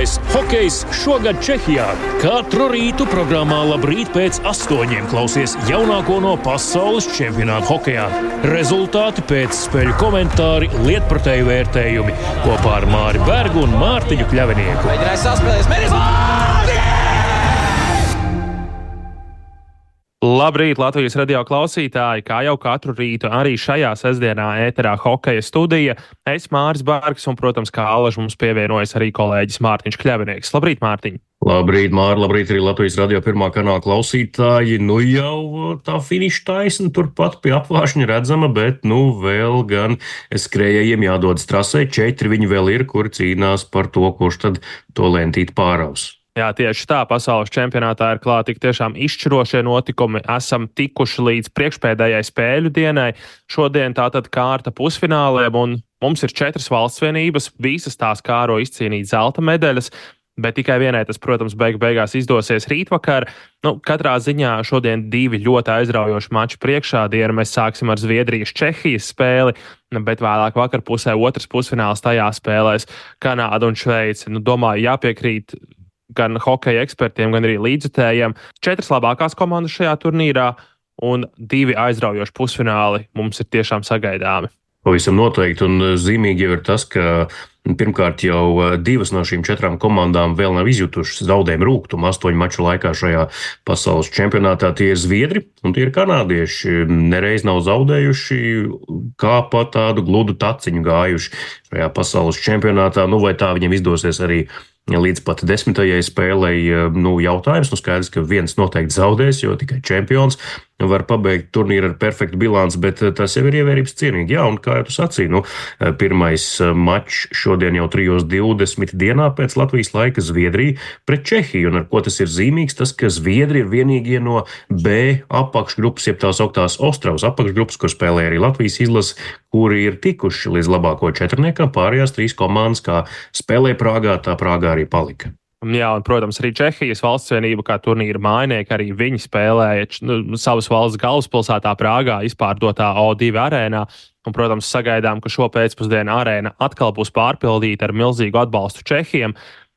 Lielais hokejs šogad Čehijā. Katru rītu programmā Labrīt pēc 8 klausies jaunāko no pasaules čempionāta hokejā. Rezultāti, pēcspēļu komentāri, lietpratēju vērtējumi kopā ar Māri Bergu un Mārtiņu Kļavinieku. Mēģināja saspēlēs, Labrīt, Latvijas radio klausītāji! Kā jau katru rītu, arī šajā sestdienā ēterā hokeja studija. Es Māris Bergs un, protams, kā alaži mums pievienojas arī kolēģis Mārtiņš Kļavinieks. Labrīt, Mārtiņ! Labrīt, Māri, labrīt arī Latvijas radio pirmā kanāla klausītāji. Nu jau tā finiša taisna turpat pie apvāršņa redzama, bet vēl gan skrējējiem jādodas trasē. 4 viņi vēl ir, kuri cīnās par to, kurš tad to lentīti pāraus. Jā, tieši tā, pasaules čempionātā ir klāt tik tiešām izšķirošie notikumi. Esam tikuši līdz priekšpēdējai spēļu dienai. Šodien tātad kārta pusfināliem, un mums ir 4 valstsvienības. Visas tās kāro izcīnīt zelta medaļas, bet tikai vienai tas, protams, beigās izdosies rītvakar. Katrā ziņā šodien 2 ļoti aizraujoši mači priekšādienu. Mēs sāksim ar Zviedrijas-Čehijas spēli, bet vēlāk vakarpusē otrs pusfināls tajā spēlēs Kanāda un Šveice. Domāju, jāpiekrīt gan hokeja ekspertiem, gan arī līdzjutējiem. 4 labākās komandas šajā turnīrā un 2 aizraujoši pusfināli mums ir tiešām sagaidāmi. Pavisam noteikti, un zīmīgi jau ir tas, ka pirmkārt jau 2 no šīm 4 komandām vēl nav izjutušas zaudējumu rūgtumu 8 maču laikā šajā pasaules čempionātā. Tie ir zviedri un tie ir kanādieši. Nereiz nav zaudējuši, kā pa tādu gludu taciņu gājuši šajā pasaules čempionātā. Vai tā viņiem izdosies arī līdz pat 10. spēlei, jautājums. Skaidrs, ka viens noteikti zaudēs, jo tikai čempions var pabeigt turnīru ar perfektu bilanci, bet tas jau ir ievērības cienīgi. Jā, un kā jau tu sacīji, pirmais mačs šodien jau 3:20 dienā pēc Latvijas laika Zviedrija pret Čehiju. Un ar ko tas ir zīmīgs? Tas, ka Zviedri ir vienīgie no B apakšgrupas, jeb tās augtās Ostravas apakšgrupas, kur spēlē arī Latvijas izlase, kuri ir tikuši līdz labāko četrniekam. Pārējās 3 komandas, kā spēlē Prāgā, tā Prāgā arī palika. Jā, un, protams, arī Čehijas valstsvienība kā turnīra mājnieki, arī viņi spēlēja savas valsts galvaspilsētā Prāgā izpārdotā O2 arēnā. Un, protams, sagaidām, ka šo pēcpusdienu arēna atkal būs pārpildīta ar milzīgu atbalstu Čehiem.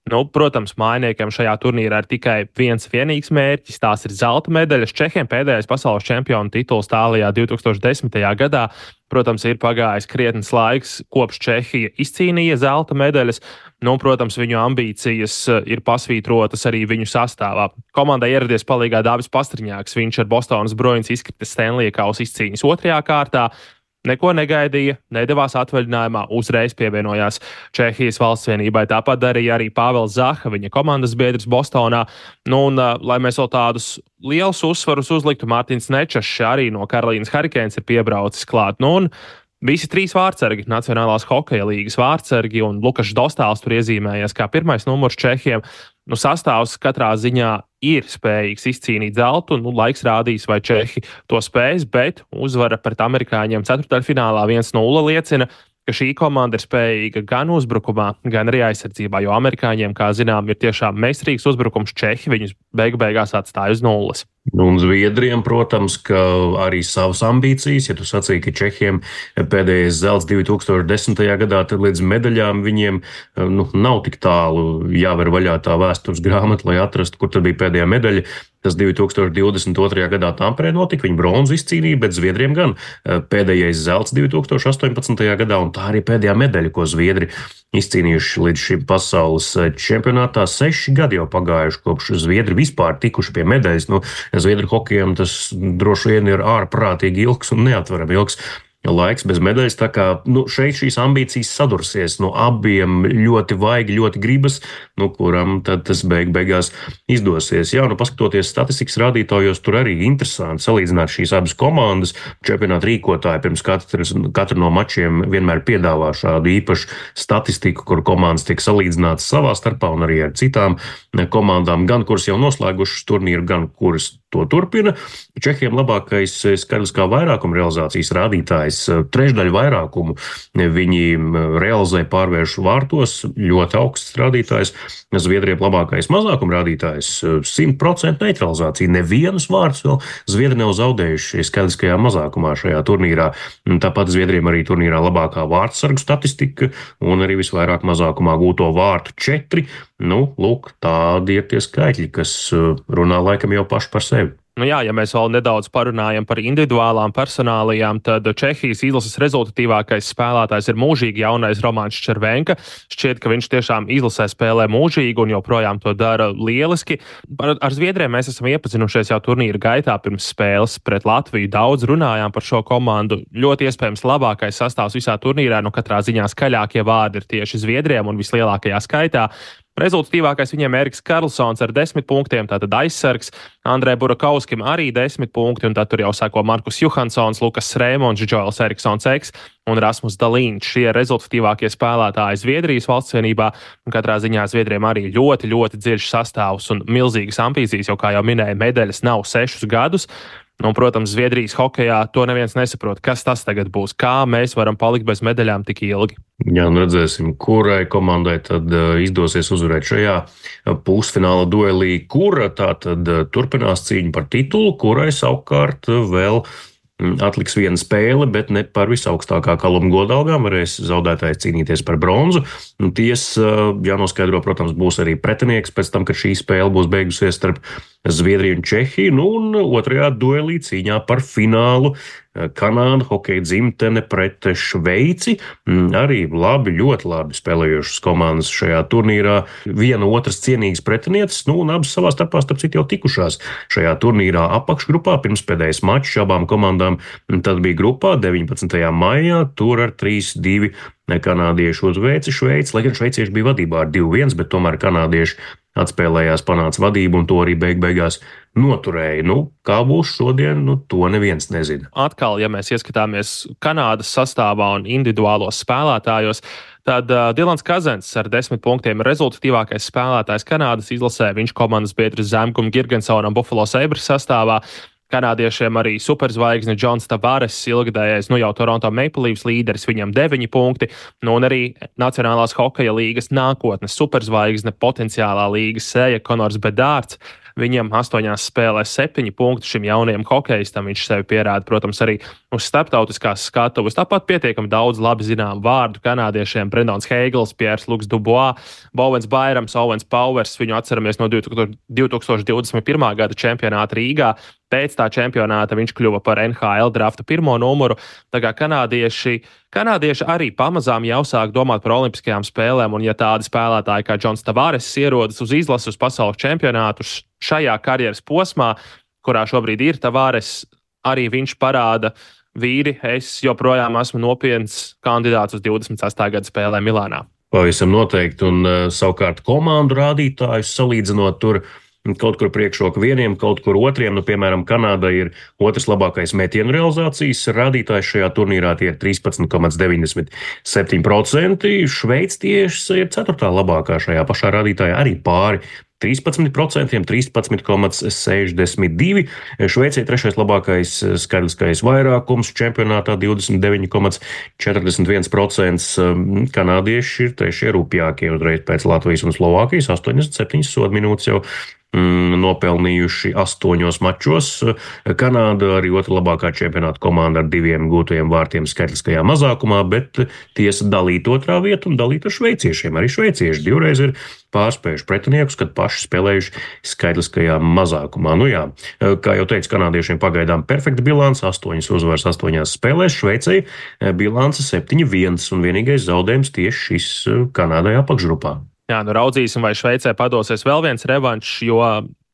Protams, mājniekiem šajā turnīrā ir tikai viens vienīgs mērķis, tās ir zelta medaļas. Čehiem pēdējais pasaules čempionu tituls Tālijā 2010. gadā. Protams, ir pagājis krietnes laiks, kopš Čehija izcīnīja zelta medaļas. Protams, viņu ambīcijas ir pasvītrotas arī viņu sastāvā. Komandai ieradies palīgā Dāvis Pastriņāks, viņš ar Bostonas Bruins izkritis Stanley kausa izcīņas 2. kārtā. Neko negaidīja, nedavās atvaļinājumā, uzreiz pievienojās Čehijas valstsvienībai. Tāpat darīja arī Pāvils Zaha, viņa komandas biedrs Bostonā. Lai mēs vēl tādus lielus uzsvarus uzliktu, Mārtiņš Nečašs arī no Karolīnas Hurricanes ir piebraucis klāt. Visi 3 vārtsargi, Nacionālās hokeja līgas vārtsargi, un Lukašs Dostāls tur iezīmējies kā pirmais numurs Čehiem. Sastāvs katrā ziņā ir spējīgs izcīnīt zeltu, laiks rādīs, vai Čehi to spēs, bet uzvara pret amerikāņiem ceturtdaļfinālā 1-0 liecina, ka šī komanda ir spējīga gan uzbrukumā, gan arī aizsardzībā, jo amerikāņiem, kā zinām, ir tiešām meistarīgs uzbrukums. Čehi viņus beigās atstāja uz nulles. Un Zviedriem, protams, ka arī savas ambīcijas, ja tu sacīji, ka Čehiem pēdējais zelts 2010. gadā, tad līdz medaļām viņiem nav tik tālu jāver vaļā tā vēstures grāmata, lai atrastu, kur tad bija pēdējā medaļa. Tas 2022. gadā Tamperē notika, viņi bronzu izcīnīja, bet Zviedriem gan pēdējais zelts 2018. gadā, un tā arī pēdējā medaļa, ko Zviedri izcīnījuši līdz šim pasaules čempionātā. 6 gadi jau pagājuši, kopš Zviedri vispār tikuši pie medaļas. Zviedru hokejam tas droši vien ir ārprātīgi ilgs un neatverami ilgs laiks bez medaļas, tā kā šeit šīs ambīcijas sadursies no abiem ļoti vaigi, ļoti gribas, kuram tad tas beigās izdosies. Jā, paskatoties statistikas rādītājos, tur arī interesanti salīdzināt šīs abas komandas. Čempionāta rīkotāji pirms katru no mačiem vienmēr piedāvā šādu īpašu statistiku, kur komandas tiek salīdzinātas savā starpā un arī ar citām komandām, gan kuras jau noslēgušas turnīru, gan kuras to turpina. Čehiem labākais skaitliskā vairākuma realizācijas rādītājs, trešdaļu vairākumu viņi realizē pārvēršu vārtos, ļoti augsts rādītājs. Zviedriem labākais mazākuma rādītājs, 100% neutralizācija. Nevienus vārdus vēl Zviedri nav zaudējuši skaitliskajā mazākumā šajā turnīrā. Tāpat Zviedriem arī turnīrā labākā vārtsargu statistika un arī visvairāk mazākumā gūto vārtu 4. Lūk, tādi ir tie skaitļi, kas runā laikam jau paši par sevi. Jā, ja mēs vēl nedaudz parunājam par individuālām personālijām, tad Čehijas izlases rezultatīvākais spēlētājs ir mūžīgi jaunais Romāns Červenka. Šķiet, ka viņš tiešām izlasē spēlē mūžīgi un joprojām to dara lieliski. Ar Zviedriem mēs esam iepazinušies jau turnīra gaitā pirms spēles pret Latviju. Daudz runājām par šo komandu. Ļoti iespējams labākais sastāvs visā turnīrā, katrā ziņā skaļākie vārdi ir tieši Zviedriem un vislielākajā skaitā. Rezultatīvākais viņiem Eriks Karlsons ar 10 punktiem, tātad aizsargs, Andrei Burakovskim arī 10 punkti, un tad tur jau sako Markus Johansons, Lukas Rēmons, Džoels Eriksons Eks un Rasmus Dalīņš. Šie rezultatīvākie spēlētāji Zviedrijas valstsvienībā, un katrā ziņā Zviedriem arī ļoti, ļoti dziļš sastāvs un milzīgas ambīcijas, jo, kā jau minēja, medaļas nav 6 gadus. Protams, Zviedrijas hokejā to neviens nesaprot, kas tas tagad būs, kā mēs varam palikt bez medaļām tik ilgi. Jā, redzēsim, kurai komandai tad izdosies uzvarēt šajā pusfināla duelī, kura tātad turpinās cīņu par titulu, kurai savukārt vēl atliks viena spēle, bet ne par visaugstākā kaluma godalgām varēs zaudētājs cīnīties par bronzu. Tiesa, jānoskaidro, protams, būs arī pretinieks pēc tam, kad šī spēle būs beigusies starp Zviedriju un Čehiju, un otrajā duelī cīņā par finālu Kanāda hokeja dzimtene pret Šveici. Arī labi, ļoti labi spēlējušas komandas šajā turnīrā. Viena otras cienīgas pretinieces, un abas savā starpā starp citu jau tikušās šajā turnīrā apakšgrupā. Pirmspēdējais mačs abām komandām tad bija grupā 19. maijā, tur ar 3-2 kanādieši uzveica Šveici, lai gan šveicieši bija vadībā ar 2-1, bet tomēr kanādieši atspēlējās, panāca vadību un to arī beigās noturēja. Kā būs šodien, to neviens nezina. Atkal, ja mēs ieskatāmies Kanādas sastāvā un individuālos spēlētājos, tad Dilans Kazens ar 10 punktiem ir rezultatīvākais spēlētājs Kanādas izlasē. Viņš komandas biedrs Zemgum Girgensonam Buffalo Sabres sastāvā. Kanādiešiem arī superzvaigzne Džons Tavares, ilgadējais jau Toronto Maple Leafs līderis, viņam 9 punkti, un arī Nacionālās hokeja līgas nākotnes superzvaigzne, potenciālā līgas sēja Konors Bedārds. Viņam 8 spēlēs 7 punkti šim jaunajam hokejistam. Viņš sevi pierāda, protams, arī uz starptautiskās skatuves. Tāpat pietiekami daudz labi zinām vārdu kanādiešiem: Brendons Heigls, Piers Luks Dubois, Bowens Bairams, Owens Powers. Viņu atceramies no 2021. Gada čempionāta Rīgā. Pēc tā čempionāta viņš kļuva par NHL drafta 1. numuru. Tā kā kanādieši arī pamazām jau sāk domāt par olimpiskajām spēlēm, un ja tādi spēlētāji kā Džons Tavares ierodas uz izlases uz pasaules čempionātu šajā karjeras posmā, kurā šobrīd ir Tavares, arī viņš parāda: vīri, es joprojām esmu nopietns kandidāts uz 28. gada spēlēm Milānā. Pavisam noteikti, un savukārt komandu rādītājus salīdzinot tur kaut kur priekšroka vieniem, kaut kur otriem. Piemēram, Kanāda ir otrs labākais metienu realizācijas rādītājs šajā turnīrā, tie ir 13,97%. Šveice tieši ir 4. labākā šajā pašā rādītājā, arī pāri 13%, 13,62%. Šveicē 3. labākais skaitliskais vairākums čempionātā 29,41%. Kanādieši ir 3. rupjākie uzreiz pēc Latvijas un Slovākijas, 87 sodu minūtes jau nopelnījuši 8 mačos. Kanāda arī otra labākā čempionāta komanda ar 2 gūtajiem vārtiem skaitliskajā mazākumā, bet tiesa dalīt otrā vietu un dalīt ar šveiciešiem. Arī šveicieši 2 reizes ir pārspējuši pretiniekus, kad paši spēlējuši skaitliskajā mazākumā. Kā jau teicu, kanādiešiem pagaidām perfekta bilance, 8 uzvaras 8 spēlēs, Šveicei bilance 7-1, un vienīgais zaudējums tieši šis Kanādai apakšgrupā. Jā, raudzīsim, vai Šveicē padosies vēl viens revanšs, jo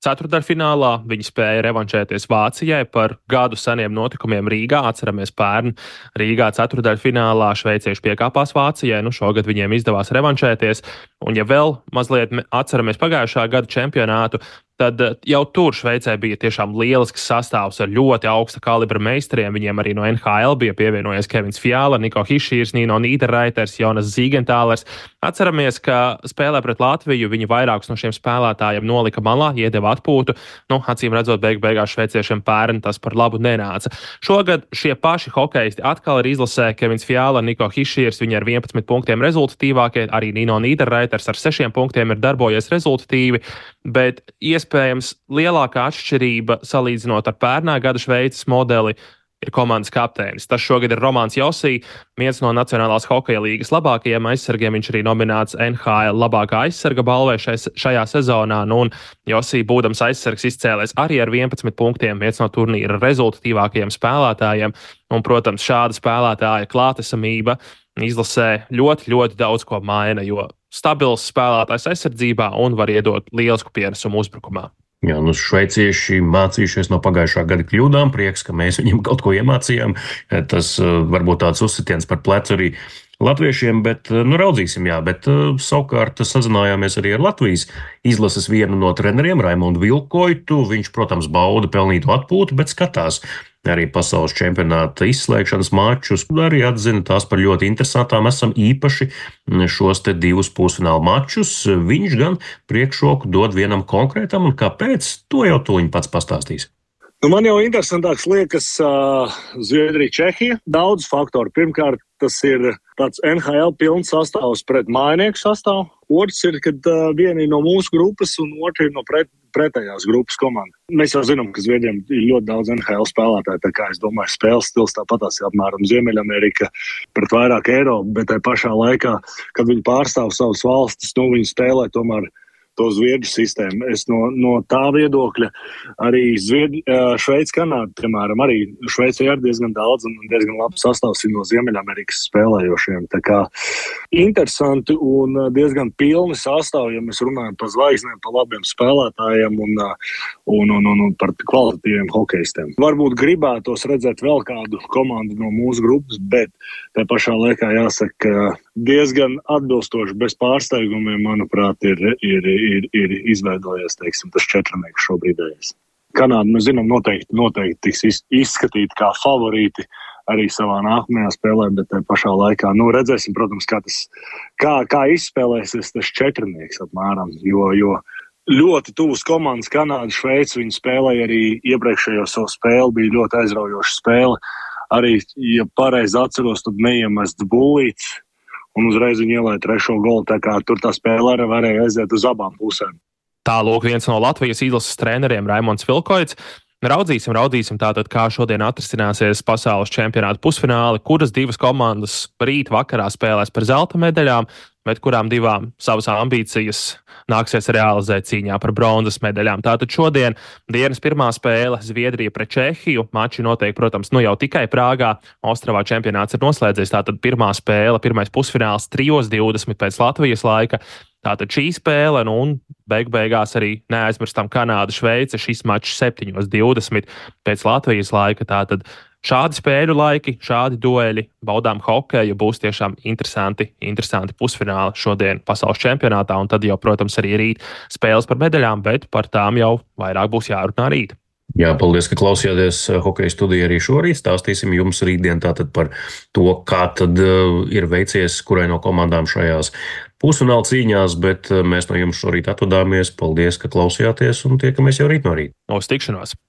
ceturtdaļfinālā viņi spēja revanšēties Vācijai par gadu seniem notikumiem Rīgā. Atceramies, pērn Rīgā ceturtdaļfinālā šveicieši piekāpās Vācijai. Šogad viņiem izdevās revanšēties. Un ja vēl mazliet atceramies pagājušā gada čempionātu, tad jau tur Šveicē bija tiešām lielisks sastāvs ar ļoti augsta kalibra meistariem. Viņiem arī no NHL bija pievienojies Kevins Fjāla, Niko Hišīrs, Nino Nīderreiters, Jonas Zīgentālers. Atceramies, ka spēlē pret Latviju viņi vairākus no šiem spēlētājiem nolika malā, iedeva atpūtu. Acīm redzot, beigās šveiciešiem pērn tas par labu nenāca. Šogad šie paši hokeisti atkal ir izlasē. Kevins Fjāla, Niko Hišīrs, viņi ar 11 punktiem rezultatīvākie, arī Nino Nīderreiters ar 6 punktiem ir darbojies rezultatīvi, bet iespējams lielākā atšķirība salīdzinot ar pērnā gada Šveices modeli ir komandas kapteinis. Tas šogad ir Romāns Josī, viens no Nacionālās hokeja līgas labākajiem aizsargiem. Viņš arī nominēts NHL labākā aizsarga balvai šajā sezonā. Un Josī, būdams aizsargs, izcēlēs arī ar 11 punktiem, viens no turnīra rezultatīvākajiem spēlētājiem. Un, protams, šāda spēlētāja klātesamība izlasē ļoti, ļoti daudz ko maina, jo stabils spēlētājs aizsardzībā un var iedot lielisku pienesumu uzbrukumā. Jā, šveicieši mācījušies no pagājušā gada kļūdām, prieks, ka mēs viņiem kaut ko iemācījām. Tas varbūt tāds uzsitiens par plecu arī latviešiem, bet raudzīsim, jā. Bet savukārt sazinājāmies arī ar Latvijas izlases vienu no treneriem, Raimondu Vilkoitu. Viņš, protams, bauda pelnītu atpūtu, bet skatās arī pasaules čempionāta izslēgšanas mačus, arī atzina tās par ļoti interesantām. Esam īpaši šos te 2 pusfināla mačus. Viņš gan priekšroku dod vienam konkrētam, un kāpēc, to jau tuliņ pats pastāstīs. Man jau interesantāks liekas Zviedrija, Čehija. Daudz faktoru. Pirmkārt, tas ir tāds NHL pilns sastāvs pret mājinieku sastāvu. Otrs ir, kad vieni no mūsu grupas un otrs ir no pretējās grupas komanda. Mēs jau zinām, ka Zviedriem ir ļoti daudz NHL spēlētāju, tā kā es domāju, spēles stils tāpatās apmēram Ziemeļamerika pret vairāk Eiropu, bet tai pašā laikā, kad viņi pārstāv savas valstis, viņi spēlē tomēr to zviedru sistēmu. Es no tā viedokļa arī Šveice, Kanāda, piemēram, arī Šveicē ir diezgan daudz un diezgan labs sastāvs no Ziemeļamerikas spēlējošiem. Tā kā interesanti un diezgan pilni sastāvi, ja mēs runājam par zvaigznēm, par labiem spēlētājiem un par kvalitatīviem hokeistiem. Varbūt gribētos redzēt vēl kādu komandu no mūsu grupas, bet tā pašā laikā jāsaka, diezgan atbilstoši bez pārsteigumiem, manuprāt, ir izveidojies, teiksim, tas četrnieks šobrīdējais. Kanāda, mēs zinām, noteikti tiks izskatīti kā favorīti arī savā nākamajā spēlē, bet tā pašā laikā, redzēsim, protams, kā izspēlēsies tas četrnieks apmēram, jo ļoti tuvas komandas Kanāda, Šveice, viņi spēlēja arī iepriekšējo savu spēli, bija ļoti aizraujoša spēle. Arī, ja pareizi atceros, tad neiemests bullīts, un uzreiz viņi ielēja 3. golu, tā kā tur tā spēle arī varēja aiziet uz abām pusēm. Tālūk viens no Latvijas izlases treneriem Raimonds Vilkoits. Raudzīsim tātad, kā šodien atrisināsies pasaules čempionāta pusfināli, kuras 2 komandas rīt vakarā spēlēs par zelta medaļām, bet kurām 2 savas ambīcijas nāksies realizēt cīņā par bronzas medaļām. Tātad šodien dienas pirmā spēle Zviedrija pret Čehiju. Mači notiek, protams, jau tikai Prāgā. Ostravā čempionāts ir noslēdzies. Tātad pirmā spēle, pirmais pusfināls 3:20 pēc Latvijas laika. Tātad šī spēle, un beigās arī neaizmirstam Kanāda, Šveice. Šis mačs 7:20 pēc Latvijas laika. Tātad šādi spēļu laiki, šādi dueļi, baudām hokeju, būs tiešām interesanti pusfināli šodien pasaules čempionātā, un tad jau, protams, arī rīt spēles par medaļām, bet par tām jau vairāk būs jārunā rīt. Jā, paldies, ka klausījāties Hokeja studiju arī šorīt. Stāstīsim jums rītdien tātad par to, kā tad ir veicies kurai no komandām šajās pusfināla cīņās, bet mēs no jums šorīt atvadāmies. Paldies, ka klausījāties, un tiekamies jau rīt no rīta. Uz tikšanos!